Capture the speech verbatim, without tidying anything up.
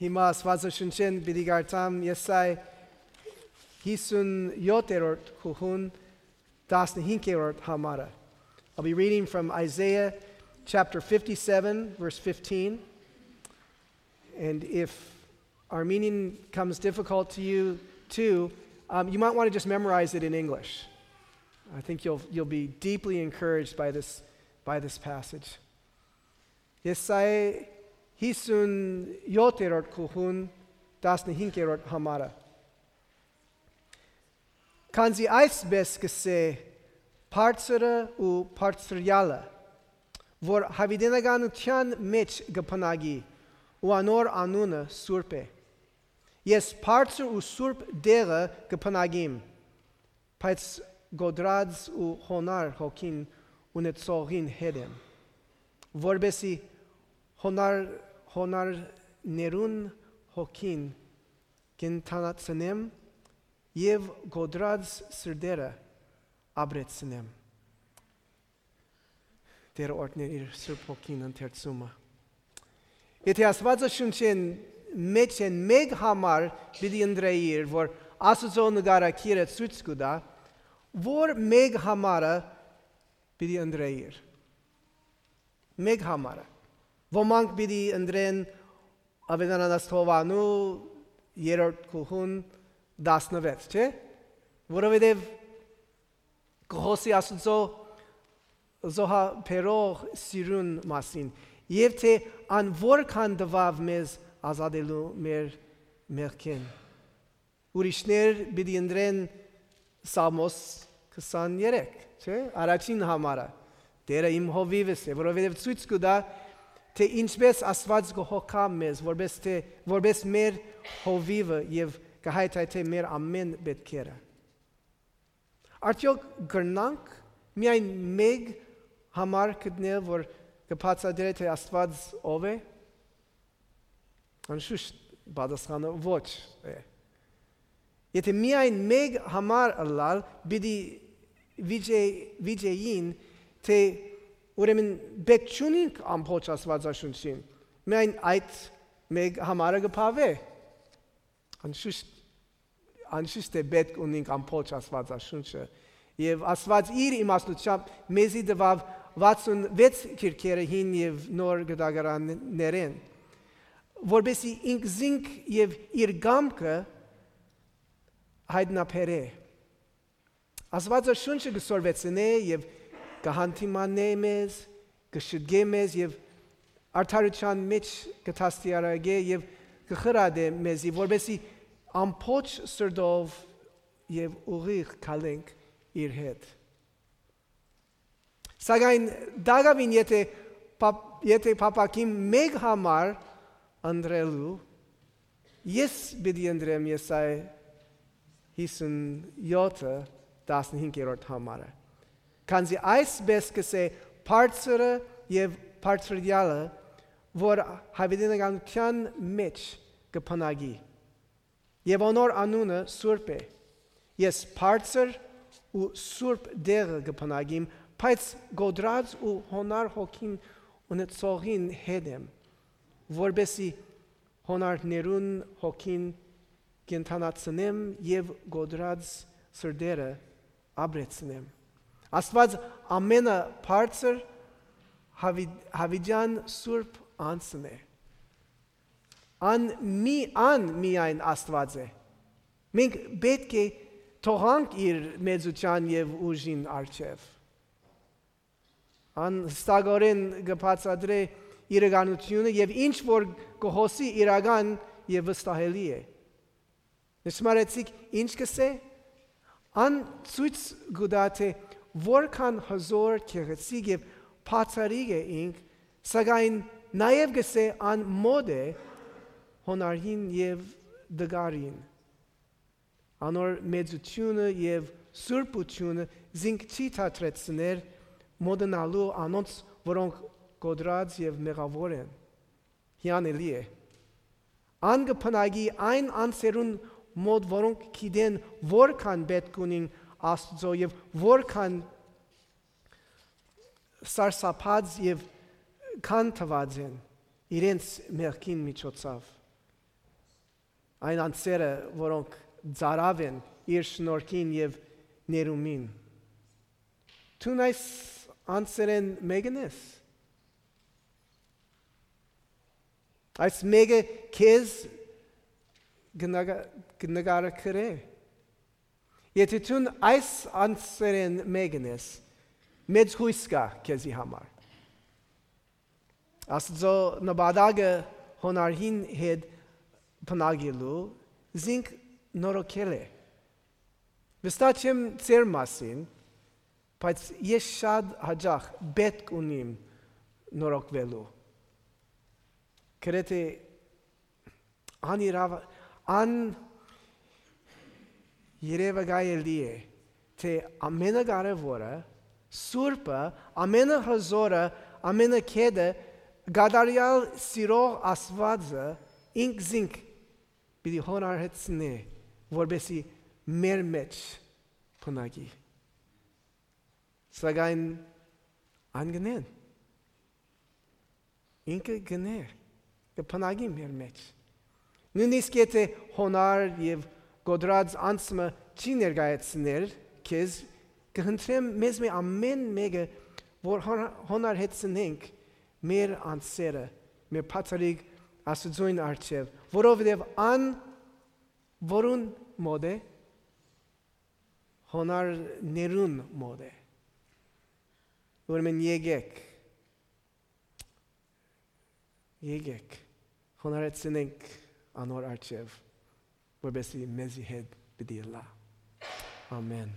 Հիմա Աստվածաշնչեն պիտի կարդամ Եսայ հիսունյոթերորդ խուղուն տասնհինգերորդ համարը. I'll be reading from Isaiah chapter fifty-seven, verse fifteen. And if Armenian comes difficult to you too, um, you might want to just memorize it in English. I think you'll you'll be deeply encouraged by this by this passage. Եսայ հիսունյոթերորդ խուղուն տասնհինգերորդ համարը. Քանզի այսպես կսե բարձրը ու բարձրյալը, որ հավիտենականության մեջ կփնագի ու անոր անունը սուրբ է. Ես բարձր ու սուրբ դեղը կփնագիմ, բայց գոդրած ու հոնար հոգին ունեցողին հետ եմ, որբեսի հոնար հոնարներուն հոգին կենթանացնեմ և գոդրած սրդերը ապրեցնեմ. Տերը օրհներ իր սուրբ հոգին ընթերցումը. Եթե Աստվածաշունչեն մեջ են մեկ համար պիտի ընտրեիր, որ Աստծո նկարագիրը ցույց կտա, որ մեկ համարը պիտի ընտրեիր. Մեկ համարը. Ոմանք պիտի ընտրեն Ավետարանասթովանու երրորդ խուղուն տասնվեց, չէ՞? Որովհետև կխոսի Աստծո զոհաբերող սիրուն մասին, և թե ան որքան տվավ մեզ ազատելու մեր մեղքեն. Ուրիշներ պիտի ընտրեն Սամոս քսաներեք, չէ՞? Առաջին համարը. Տերը իմ հովիվս է, որովհետև ցույց կտա, թե ինչպես Աստված կհոգա մեզ, որպես թե որպես մեր հովիվը և կհայթայթի մեր ամեն պետքերը. Արդյոք կրնանք միայն մեկ համար գտնել, որ կբացատրի, թե Աստված ով է? Անշուշտ պատասխանը ոչ է. Եթե միայն մեկ համար ըլլալ, պիտի վիճեին, թե ուրեմն պետք չունենք ամբողջ Աստվածաշունչին, միայն այդ մեկ համարը կփավե. Անշուշտ անշուշտ է պետք ունենք ամբողջ Աստվածաշունչը, և Աստված իր իմաստությամբ մեզի տվավ վաթսունվեց քիրքերը հին և նոր գտագարաններեն, որպեսզի ինքզինք և իր կամքը հայտնաբերե. Աստվածաշունչը կսորվեցնե և կհանդիմանե մեզ, կշտկե մեզ և արդարության մեջ կդաստիարակե և կխրատե մեզի, որպեսզի ամբողջ սրտով և ուղիղ գալենք իր հետ. Սակայն դակավին եթե եթե փափագիմ մեկ համար ընտրելու, ես պիտի ընտրեմ Եսայ հիսունյոթը տասնհինգերորդ համարը. Քանզի այսպես կսե բարձրը և բարձրյալը, որ հավիտենականության մեջ կփնագի, և անոր անունը սուրբ է. Ես բարձր ու սուրբ դեղը կփնագիմ, բայց գոդրած ու հոնար հոգին ունեցողին հետ եմ, որպեսզի հոնարներուն հոգին կենթանացնեմ և գոդրած սրդերը ապրեցնեմ. Աստված ամենը բարձր հավիտյան սուրբ անձն է. Ան մի ան միայն Աստված է. Մենք պետք է թողանք իր մեծության և ուժին առջև. Ան ստագորեն կբացատրե իրականությունը և ինչ որ կհոսի իրական և վստահելի է. Նշմարեցիք ինչ կսե? Ան ցույց կտա, թե որքան հզոր, գեղեցիկ և բացառիկ է ինք, սակայն նաև կսե ան մոտ է հոնարին և դգարին. Անոր մեծությունը և սուրբությունը զինք չի թատրեցներ մոդենալու անոնց, որոնք գոդրած և մեղավոր են. հիանալի է. Ան կփնագի այն անձերուն մոտ, որոնք գիտեն որքան պետք ունին Աստծո և որքան սարսափած և քանթված են իրենց մեղքին միջոցով. այն անձերը, որոնք ծարավ են իր շնորհքին եւ ներումին։ Դու այս անձերեն մեկն ես։ Այս մեկը քեզ գնագարակրե։ Եթե դու այս անձերեն մեկն ես, մեծ հույս կա քեզի համար։ Աստծո նպատակը հոնարհին հետ բնագելու զինք նորոգել է։ Վստահ չեմ ձեր մասին, բայց ես շատ հաճախ պետք ունիմ նորոգվելու։ Գրեթե անիրավ ան երևակայելի է, թե ամենակարևորը, սուրբը, ամենահզորը, ամենակեդը, գադարյալ սիրող Աստվածը ինք զինք պիտի հոնարհեցնե, որպեսի մեր մեջ բնակի։ Սակայն անգնեն, ինքը գնե, կբնակի մեր մեջ։ Նույնիսկ եթե հոնար և գոդրած անձը չի ներկայացնել քեզ, կհնդրեմ մեզ մի ամեն մեկը, որ հոնարհեցնենք մեր անձերը, մեր փաթարիկ Աստծուն առջև, որովհետև ան որուն մոտ է, հոնարներուն մոտ է։ Ուրեմն եկեք, եկեք, հոնարեցնենք անոր առջև, որպեսզի մեզի հետ պիտի լա։ Ամեն։